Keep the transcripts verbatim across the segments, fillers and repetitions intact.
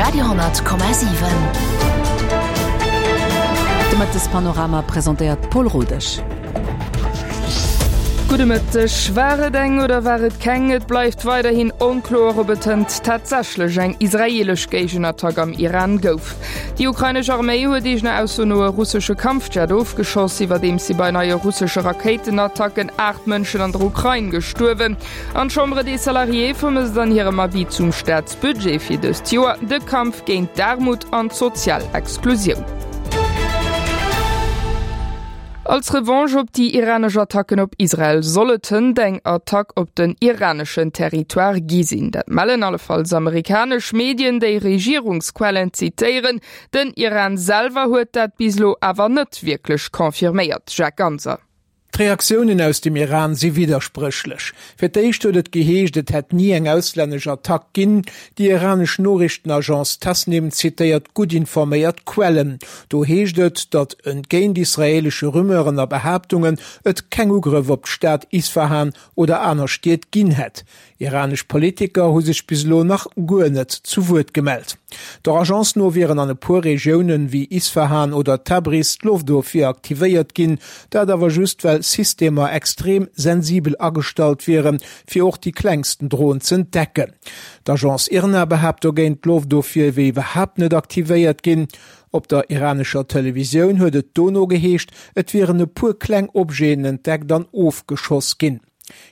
Radio honnert Komma siwen. De Mëttespanorama presentéiert d'Paul Rodesch. Gudde Mëtteg. War et eng oder war et keng? Et bleift weiderhin onkloer, ob et hënt tatsächlech eng israeelesch Géigenattack am Iran gouf. Déi ukrainesch Arméi huet eegener Ausso no e russesche Kampfjet ofgeschoss, iwwerdeems si bei neie russesche Rakéitenattacken aacht Mënschen an der Ukrain gestuerwen. An d'Chambre des Salariés vermësst an hirem Avis zum Staatsbudget fir dëst Joer de Kampf géint d'Aarmut an d'sozial Exklusioun. Als Revanche op déi iranesch Attacken op Israel soll et hënt eng Attack op den iraneschen Territoire gi sinn. Dat mellen allefalls amerikanesch Medien, déi Regierungsquellen zitéieren. Den Iran selwer huet dat bis elo awer net wierklech confirméiert. Jacques Ganser. D'Reaktiounen aus dem Iran si widderspréchlech. Fir d'éischt huet et geheescht, et hätt ni eng auslännesch Attack ginn. Déi iranesch Noriichtenagence Tasnim zitéiert gutt informéiert Quellen. Do heescht et, datt entgéint israeelesche Rumeuren a Behaaptungen et keng Ugrëff op d'Stad Isfahan oder aner Stied ginn hätt. Iranesch Politiker hu sech bis elo nach guer net zu Wuert gemellt. Der Agence no wieren an e puer Regiounen wéi Isfahan oder Tabriz d'Loftofwier aktivéiert ginn, dat awer just well Systemer extrem sensibel agestallt wieren, fir och déi klengsten Dron z'entdecken. D'Agence IRNA behaapt dogéint, d'Loftofwier wier iwwerhaapt net aktivéiert ginn. Op der iranescher Televisioun huet et dono geheescht, et wieren e puer kleng Objeten entdeckt an ofgeschoss ginn.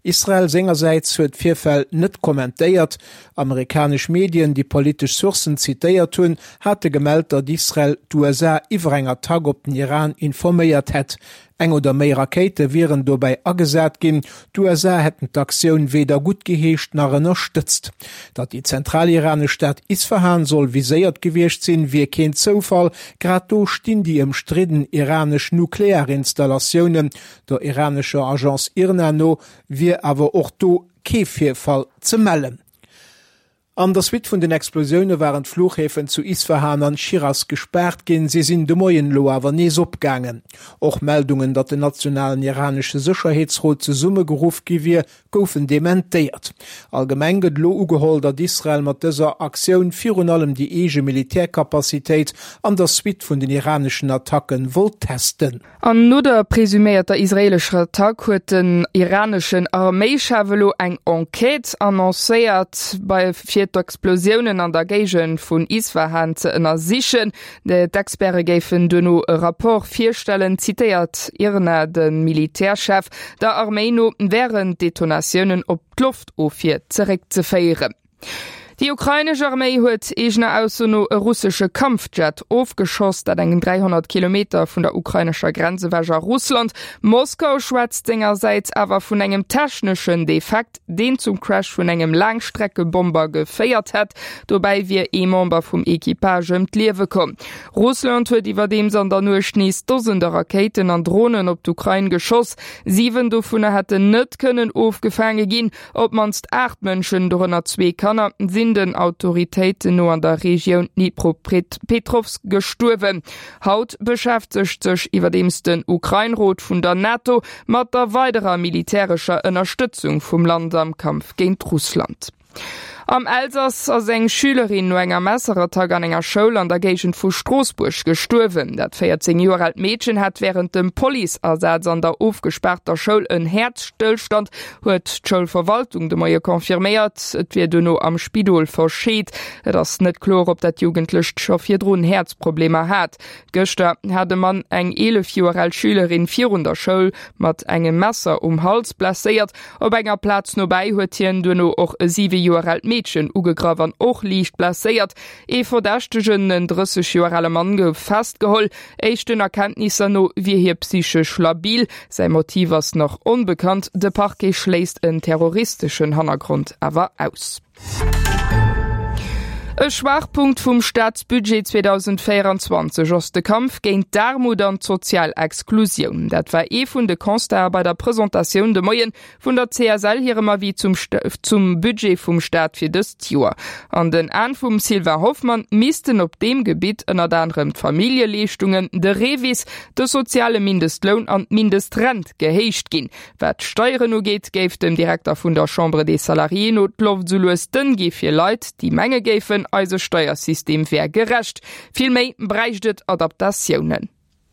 Israel sengersäits huet d'Virfäll net kommentéiert. Amerikanesch Medien, déi politesch Sourcen zitéiert hunn, hate gemellt, datt Israel d'U S A iwwer eng Attack op den Iran informéiert hätt. Eng oder méi Rakéite wieren dobäi agesat ginn. D'U S A hätten d'Aktioun weder guttgeheescht nach ënnerstëtzt. Datt déi zentraliranesch Stad Isfahan soll viséiert gewiescht sinn, wier keen Zoufall. Grad do stinn déi ëmstridden iranesch Nuklearinstallatiounen. Der iranescher Agence IRNA no wier awer och do kee Virfall ze mellen. An der Suite vun den Explosioune waren d'Fluchhäfen zu Isfahan an Schiras gespaart ginn. Si sinn de Moien elo awer nees opgaangen. Och Meldungen, datt den nationalen iranesche Sécherheetsrot zesummegeruff gi wier, goufen dementéiert. Allgemeng gëtt elo ugeholl, datt Israel mat dëser Aktioun virun allem déi eege Militärkapazitéit an der Suite vun den iraneschen Attacken wollt testen. An no der presuméierter israeelescher Attack huet den iraneschen Arméischef elo eng Enquête annoncéiert, bei fir d'Explosiounen an der Géigend vun Isfahan ze ënnersichen. D'Experte géifen duerno e Rapport virstellen, zitéiert IRNA de Militärchef. Der Arméi no wären d'Detonatiounen op d'Loftofwier zeréckzeféieren. Déi ukrainesch Arméi huet eegener Ausso no e russesche Kampfjet ofgeschoss, dat eng dräihonnert Kilometer vun der ukrainescher Grenz ewech a Russland. Moskau schwätzt sengersäits awer vun engem techneschen Defekt, deen zum Crash vun engem Laangstreckebomber geféiert hätt. Dobäi wier ee Member vum Equipage ëm d'Liewe komm. Russland huet iwwerdeems an der Nuecht nees Dosende Rakéiten an Dronen op d'Ukrain geschoss. Siwen dovunner hätten net kënnen ofgefaange ginn. Op d'mannst aacht Mënschen, dorënner zwee Kanner, sinn den Autoritéiten no an der Regioun Dnipropetrovsk gestuerwen. Haut beschäftegt sech iwwerdeems den Ukrain-Rot vun der NATO mat der weiderer militärescher Ënnerstëtzung vum Land am Kampf géint Russland. Am Elsass ass eng Schülerin no enger Messerattack an enger Schoul an der Géigend vu Stroossbuerg gestuerwen. Dat véierzéng Joer aalt Meedchen hat wärend dem Policeasaz an der ofgespaarter Schoul en Häerzstëllstand, huet d'Schoulverwaltung de Moie confirméiert. Et wier duerno am Spidol verscheet. Et ass net kloer, ob dat Jugendlecht scho virdrun Häerzproblemer hat. Gëschter hat e Mann eng eelef Joer al Schülerin virun der Schoul mat engem Messer um Hals blesséiert. Op enger Plaz nobäi huet hien duerno och e siwe Joer aalt Meedchen ugegraff an och liicht blesséiert. Ee Verdächtegen, en drësseg Joer ale Mann, gouf festgeholl. Éischten Erkenntnisser no wier hie psychesch labil. Säi Motiv ass nach onbekannt. De Parquet schléisst en terroristeschen Hannergrond awer aus. E Schwaachpunkt vum Staatsbudget zweedausendvéieranzwanzeg ass de Kampf géint d'Aarmut an d'sozial Exklusioun. Dat war ee vun de Constaten bei der Presentatioun de Moien vun der C S L hirem Avis zum Sta-, zum Budget vum Staat fir dëst Joer. An den Aen vum Sylvain Hoffmann missten op deem Gebitt ënnert anerem d'Familljeleeschtungen, de Revis, de soziale Mindestloun an d'Mindestrent gehéicht ginn. Wat d'Steieren ugeet, géif dem Direkter vun der Chambre des Salariés no d'Loft sou lues dënn gi fir Leit, déi menge géifen, behaapten, eise Steiersystem wär gerecht. Vill méi bräicht et Adaptatiounen.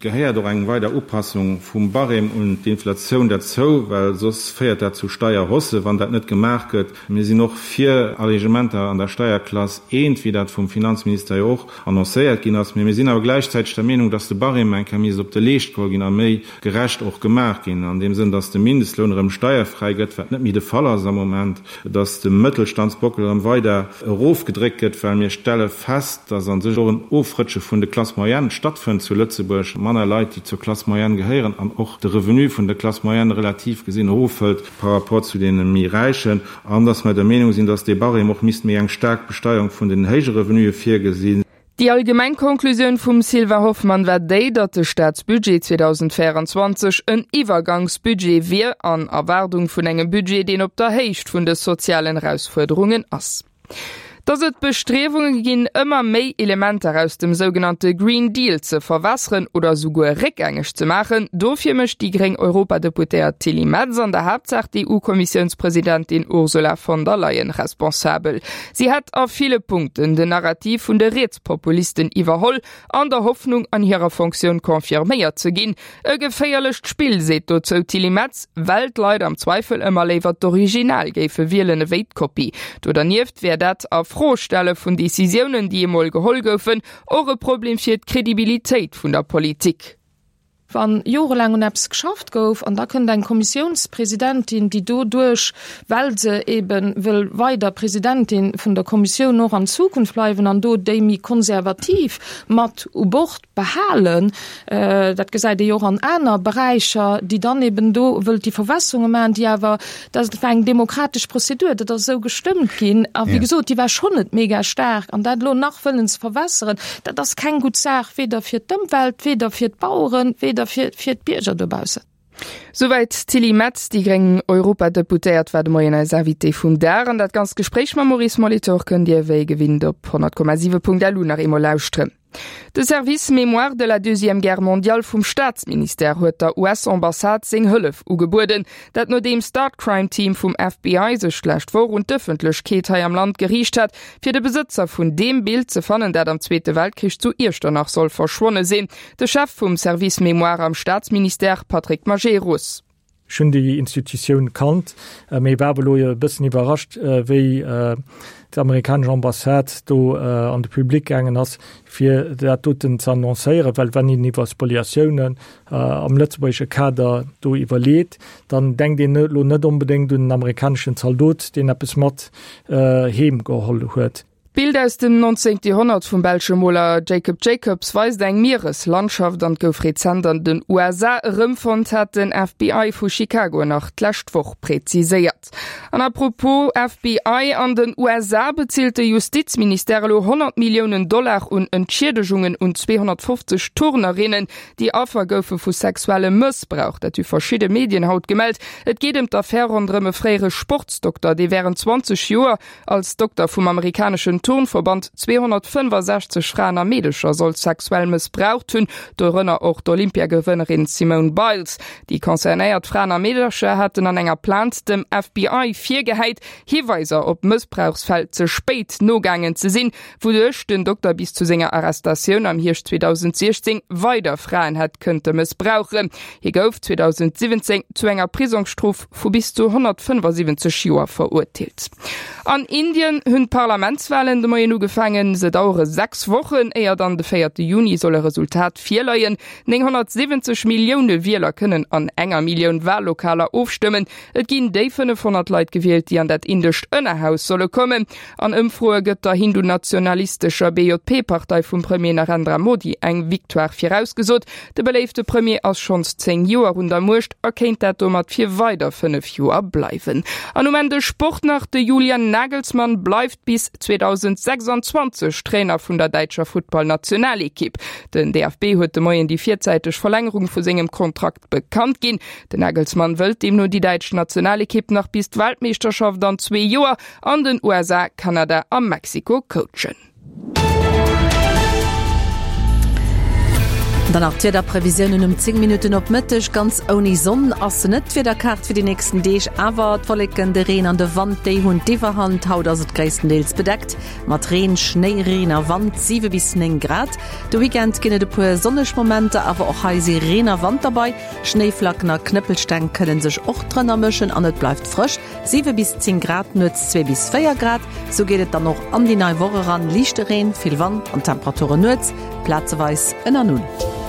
Gehéiert och eng weider Upassung vum Barème un d'Inflatioun derzou, well soss féiert dat zu Steierhaussë wann dat net gemaach gëtt. Mir sinn och fir Allegementer an der Steierklass eent, wéi dat vum Finanzminister jo och annoncéiert ginn ass. Mee mir sinn awer gläichzäiteg der Meenung, dass de Barème eng Kéier misst op de Leescht geholl ginn a méi gerecht och gemaach ginn, an deem Sënn, dass de Mindestloun erëm steierfräi gëtt, wat net méi de Fall ass am Moment, dass de Mëttelstandsbockel erëm weider erofgedréckt gëtt, well mir stelle fest, dass a sech och en Ofrëtsche vun de Classes moyennes stattfënnt zu Lëtzebuerg, manner Leit, déi zur Classe moyenne gehéieren an och de Revenu vun der Classe moyenne relativ gesinn erofhëlt par rapport zu deene méi Räichen, an dass mer der Meenung sinn, dass dee Barème och misst méi eng staark Besteierung vun den héije Revenuë virgesinn. Déi allgemeng Konklusioun vum Sylvain Hoffmann war déi, datt de Staatsbudget zweedausendvéierundzwanzeg en Iwwergangsbudget wier, an Erwaardung vun engem Budget, deen op der Héicht vun de sozialen Erausfuerderungen ass. Dass et Bestriewunge ginn, ëmmer méi Elementer aus dem sougenannte Green Deal ze verwässeren oder souguer réckgängeg ze maachen, dofir mécht déi gréng Europadeputéiert Tilly Metz an der Haaptsaach d'EU-Kommissiounspresidentin Ursula von der Leyen responsabel. Si hätt a ville Punkten den Narrativ vun de Rietspopulisten iwwerholl, an der Hoffnung, an hirer Fonctioun confirméiert ze ginn. E geféierlecht Spill, seet dozou d'Tilly Metz, well d'Leit am Zweifel ëmmer léiwer d'Original géife wielen ewéi d'Kopie. Do dernieft wär dat a Fro stelle vun Decisiounen, déi emol geholl goufen, och e Problem fir d'Kredibilitéit vun der Politik. Wa jorelaang un eppes geschafft gouf an da kënnt eng Kommissiounspresidentin, déi doduerch, well se ebe wëll weider Presidentin vun der Kommissioun och an Zukunft bleiwen an do déi méi konservativ mat u Bord behalen, dat gesäit ee jo och an aner Beräicher, déi dann eben do wëllt déi Verwässerunge maachen, déi awer, dat war eng demokratesch Prozedur, dat ass esou gestëmmt ginn a wéi gesot, déi war schonn net mega staark an dat elo nach wëllen ze verwässeren, dat ass keng gutt Saach, weder fir d'Ëmwelt, weder fir d'Baueren, weder fir d'Bierger dobaussen. Souwäit d'Tilly Metz, déi gréng Europadeputéiert, war de Moien eis Invitée vum Dag. An dat ganzt Gespréich mam Maurice Molitor kënnt Dir wéi gewinnt op honnert Komma siwe Punkt lu nach eemol lauschteren. De Service Mémoire de la Deuxième Guerre mondiale vum Staatsministère huet der U S-Ambassade seng Hëllef ugebueden. Dat nodeems d'Art Crime Team vum F B I sech d'lescht Woch un d'Ëffentlechkeet hei am Land geriicht hat, fir de Besëtzer vun deem Bild ze fannen, dat am Zweete Weltkrich zu Iechternach soll verschwonne sinn. De Chef vum Service Mémoire am Staatsministère, Patrick Majerus. Ech hunn déi Institutioun kannt, mee war awer elo e bëssen iwwerrascht, wéi d'amerikanesch Ambassade do an de Public gaangen ass, fir dat doten ze annoncéieren, well wann een iwwer Spoliatiounen am lëtzebuergesche Kader do iwwerleet, dann denkt een elo net onbedéngt un en amerikaneschen Zaldot, deen eppes mat heem geholl huet. D'Bild aus dem neunzehnten Joerhonnert vum belsche Moler Jacob Jacobs weist eng Miereslandschaft an gouf rezent an den U S A erëmfonnt, hat den F B I vu Chicago nach d'lescht Woch präziséiert. An apropos F B I, An den U S A bezilt de Justizministère elo honnert Milliounen Dollar un Entschiedegungen un zweehonnertfofzeg Turnerinnen, déi Affer goufe vu sexuellem Mëssbrauch. Dat hu verschidde Medien haut gemellt. Et geet ëm d'Affär ronderëm e fréiere Sportsdokter, dee wärend zwanzeg Joer als Dokter vum amerikaneschen Turnverband zweehonnertfënnefasechzeg Fraen a Meedecher soll sexuell mëssbraucht hunn, dorënner och d'Olympiagewënnerin Simone Biles. Déi concernéiert Fraen a Meedercher haten an enger Plainte dem F B I virgehäit, Hiweiser op Mëssbrauchsfäll ze spéit nogaangen ze sinn, wouduerch den Dokter bis zu senger Arrestatioun am Hierscht zweedausendsiechzéng weider Fraen hätt kënnte mëssbrauchen. Hie gouf zweedausendsiwwenzéng zu enger Prisongsstrof vu bis zu honnertfënnefasiwwenzeg Joer verurteelt. An Indien hunn d'Parlamentswalen de Moien ugefaangen. Se dauere sechs Wochen, éier dann de véierte Juni soll e Resultat virleien. Nénghonnertsiwwenzeg Millioune Wieler kënnen an enger Millioun Wallokaler ofstëmmen. Et ginn déi fënnefhonnert Leit gewielt, déi an dat indescht Ënnerhaus solle kommen. An Ëmfroe gëtt der hindu-nationalistescher B J P-Partei vum Premier Narendra Modi eng Victoire virausgesot. De beléifte Premier ass schonns zéng Joer un der Muecht a kéint dat domat fir weider fënnef Joer bleiwen. An um Enn de Sport nach, De Julian Nagelsmann bleift bis zweedausendsechsanzwanzeg Trainer vun der däitscher Futtballnationalekipp. Den D F B huet de Moien déi virzäiteg Verlängerung vu sengem Kontrakt bekannt ginn. Den Nagelsmann wëllt deemno déi däitsch Nationalekipp nach bis d'Weltmeeschterschaft an zwee Joer an den U S A, Kanada a Mexiko coachen. Dann nach d'Wiederprevisiounen um zéng Minutten op Mëtteg, Ganz ouni Sonn ass se net, d'Wiederkaart fir déi nächsten Deeg. Awer d'Wolleken, de Reen an de Wand, déi hunn d'Iwwerhand. Haut ass et gréisstendeels bedeckt mat Reen, Schnéi, Reen a Wand, siwe bis néng Grad. De Weekend ginn et e puer sonneg Momenter, awer och hei si Reen a Wand derbei. Schnéiflacken a Knëppelsteng kënne sech och drënner mëschen an et bleift frësch, siwe bis zéng Grad, nuets zwee bis véier Grad. Sou geet et dann och an déi nei Woch eran, liichte Reen, vill Wand an Temperaturen nuets plazeweis ënner Null.